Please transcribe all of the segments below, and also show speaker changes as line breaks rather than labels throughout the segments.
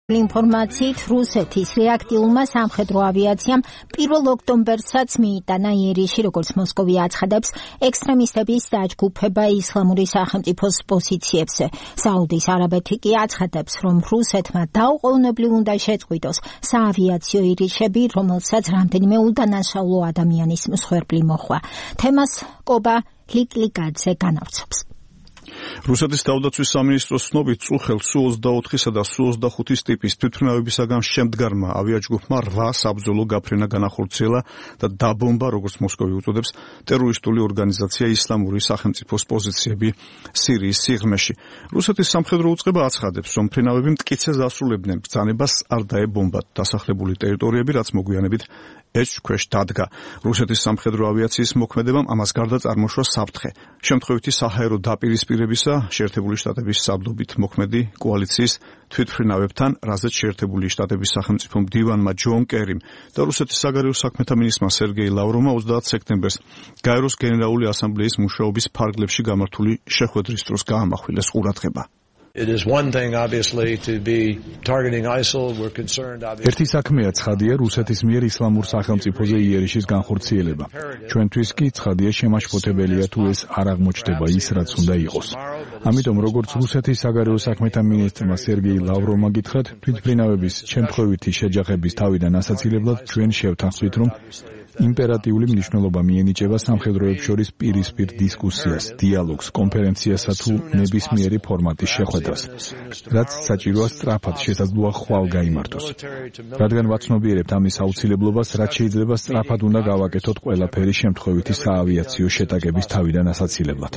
ინფორმაციით რუსეთის რეაქტიულმა სამხედრო ავიაციამ 1 ოქტომბერსაც მიიტანა იერიში, როგორც მოსკოვი აცხადებს, ექსტრემისტების დაჯგუფება ისლამური სახელმწიფოს პოზიციებზე. საუდის არაბეთი კი აცხადებს, რომ რუსეთმა დაუყოვნებლივ უნდა შეწყვიტოს საავიაციო ირიშები, რომელსაც რამდენიმე უდანაშაულო ადამიანის მსხვერპლი მოჰყვა. თემას კობა ლიკლიკაძე განავრცობს.
რუსეთის თავდაცვის სამინისტროს ცნობით წუხელ Su-24-სა და Su-25-ის ტიპის თვითმფრინავებისაგან შემდგარმა ავიაჯგუფმა 8 საბრძოლო გაფრენა განახორციელა და დაბომბა, როგორც მოსკოვი უწოდებს, ტერორისტული ორგანიზაცია ისლამური სახელმწიფოს პოზიციები სირიის სიღრმეში. რუსეთის სამხედრო უწყება აცხადებს, რომ მფრინავები მტკიცეს ასრულებდნენ ბრძანებას არ დაებომბათ დასახლებული ტერიტორიები, რაც მოგვიანებით ეჭვქვეშ დადგა. რუსეთის სამხედრო ავიაციის მოქმედებამ ამას გარდა წარმოშვა საფრთხე. შემთხვევითი საჰაერო დაპირისპირებისა შეერთებული შტატების საბდობით მოქმედი კოალიციის თვითმფრინავებთან, რაზეც შეერთებული შტატების სახელმწიფო მდივანმა ჯონ კერიმ და რუსეთის საგარეო საქმეთა მინისტრმა სერგეი ლავროვმა 30 სექტემბერს გაეროს გენერალური ასამბლეის მუშაობის ფარგლებში გამართული შეხვედრის დროს გაამახვილეს ყურადღება.
ერთი საქმეა ცხადია რუსეთის მიერ ისლამურ სახელმწიფოზე იერიშის განხორციელება. ჩვენთვის კი ცხადია შემაშფოთებელია თუ ეს არ აღმოჩნდება ის, რაც უნდა იყოს. ამიტომ როგორც რუსეთის საგარეო საქმეთა მინისტრმა სერგეი ლავროვმა გითხრათ, თვითმფრინავების შემთხვევითი შეჯახების თავიდან ასაცილებლად ჩვენ შევთანხმდით, რომ იმპერატიული მნიშვნელობა მიენიჭება სამხედროებს შორის პირისპირ დისკუსიას, დიალოგს, კონფერენციასა თუ ნებისმიერი ფორმატის შეხვედრას, რაც საჭიროა სწრაფად შესაძლოა ხვალ გაიმართოს. რადგან ვაცნობიერებთ ამის აუცილებლობას, რაც შეიძლება სწრაფად უნდა გავაკეთოთ ყველაფერი შემთხვევითი საავიაციო შეტაკების თავიდან ასაცილებლად.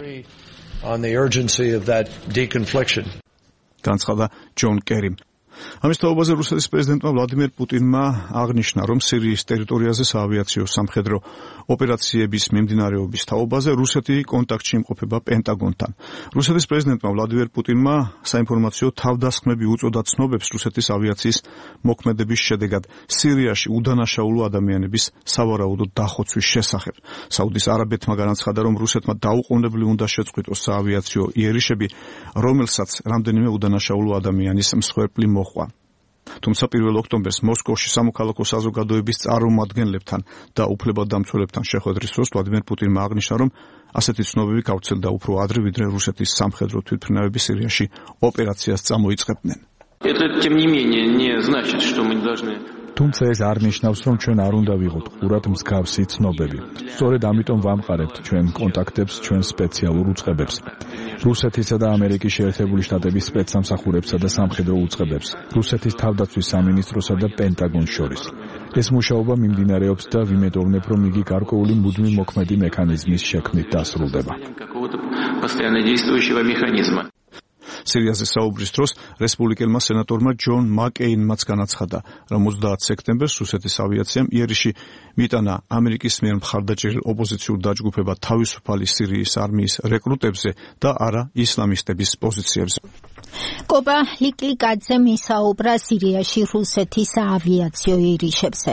განცხადა ჯონ კერიმ. ამის თაობაზე რუსეთის პრეზიდენტმა ვლადიმერ პუტინმა აღნიშნა, რომ სირიის ტერიტორიაზე საავიაციო სამხედრო ოპერაციების მიმდინარეობის თაობაზე რუსეთი კონტაქტში იმყოფება პენტაგონთან. რუსეთის პრეზიდენტმა ვლადიმერ პუტინმა საინფორმაციო თავდასხმები უწოდა ცნობებს რუსეთის ავიაციის მოქმედების შედეგად სირიაში უდანაშაულო ადამიანების სავარაუდო დახოცვის შესახებ. საუდის არაბეთმა განაცხადა, რომ რუსეთმა დაუყოვნებლივ უნდა შეწყვიტოს საავიაციო იერიშები, რომელსაც რამდენიმე უდანაშაულო ადამიანის მსხვერპლი მოჰყვა. თუმცა 1 ოქტომბერს მოსკოვში სამოქალაქო საზოგადოების წარმომადგენლებთან და უფლებადამცველებთან შეხვედრის დროს ვლადიმერ პუტინმა აღნიშნა, რომ ასეთი ცნობები გავრცელდა უფრო ადრე, ვიდრე რუსეთის სამხედრო თვითმფრინავები სირიაში ოპერაციას წამოიწყებდნენ.
თუმცა ეს არ ნიშნავს, რომ ჩვენ არ უნდა ვიყოთ ყურად მსგავსი ცნობები. სწორედ ამიტომ ვამყარებთ ჩვენ კონტაქტებს, ჩვენ სპეციალურ უწყებებს, რუსეთისა და ამერიკის შეერთებული შტატების სპეცსამსახურებსა და სამხედრო უწყებებს, რუსეთის თავდაცვის სამინისტროსა და პენტაგონს შორის. ეს მუშაობა მიმდინარეობს და ვიმედოვნებ, რომ იგი გარკვეული მუდმივი მოქმედი მექანიზმის შექმნით დასრულდება.
სირიაზე საუბრის დროს რესპუბლიკელმა სენატორმა ჯონ მაკეინმაც განაცხადა, რომ 30 სექტემბერს რუსეთის ავიაციამ იერიში მიიტანა ამერიკის მიერ მხარდაჭერილ ოპოზიციურ დაჯგუფებად თავისუფალი სირიის არმიის რეკრუტებზე და არა ისლამისტების პოზიციებზე.
კობა ლიკლიკაძე მისაუბრა სირიაში რუსეთის აავიაციო ირიშებზე.